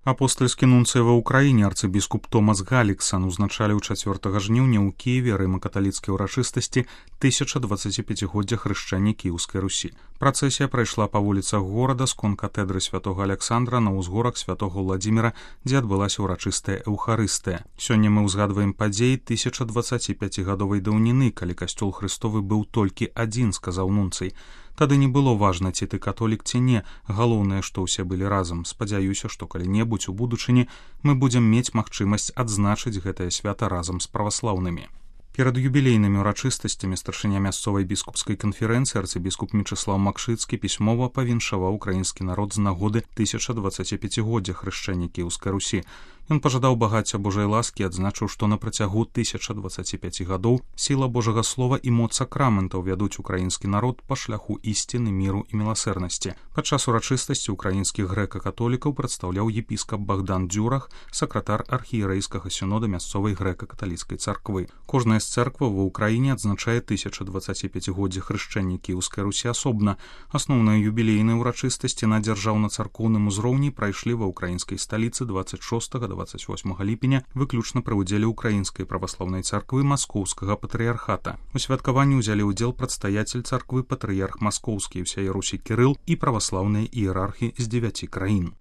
Апостальскі нунцый ва ўкраіне арцыбіскуп Томас Галіксан узначаліў 4 жніўня ў Кіеве рыма-каталіцкай урачыстасці 1025годдзя хрышчэння Кіеўскай Русі. Працэсія прайшла па вуліцах горада скон катедры святога Аляксандра на ўзгорак святога Владзіміра, дзе адбылася ўрачыстая эўхарыстыя. Сёння мы ўзгадваем падзеі 1025гадовай даўніны, калі касцёл Хрыстовы быў толькі адзін, сказаў нунцый. Тады не было важна, ці ты католік, ці не. Галоўнае, што ўсе былі разам. Спадзяюся, што калі-небудзь у будучыні мы будзем мець магчымасць адзначыць гэтае свята разам з праваслаўнымі. Перад юбілейнымі ўрачыстасцямі старшыня мясцовай біскупскай канферэнцыі арцыбіскуп Мечыслаў Макшыцкі пісьмова павіншаваў украінскі народ з нагоды 1025годдзя хрышчэння Кіеўскай Русі. Ён пажадаў багацця Божай ласкі, адзначыў, што на працягу 1025 гадоў сіла Божага слова і моц сакраментаў вядуць украінскі народ па шляху ісціны, міру і міласэрнасці. Падчас урачыстасці украінскіх грэка-католікаў прадстаўляў епіскап Богдан Дзюрах, сакратар архієрэйскага сінода мясцовай грэка-каталіцкай царквы. Кожная з цэркваў ва ўкраіне адзначае 1025годдзя хрышчэння Кіеўскай Русі асобна. Асноўныя юбілейныя ўрачыстасці на дзяржаўна-царкоўным узроўні прайшлі ва ўкраінскай сталіцы 26-28 ліпеня выключна пры ўдзеле ўкраінскай праваслаўнай царквы маскоўскага патрыярхата. У святкаванні ўзялі ўдзел прадстаяцель царквы патрыярх маскоўскі ўсяе Русі Кірыл і праваслаўныя іерархі з 9 краін.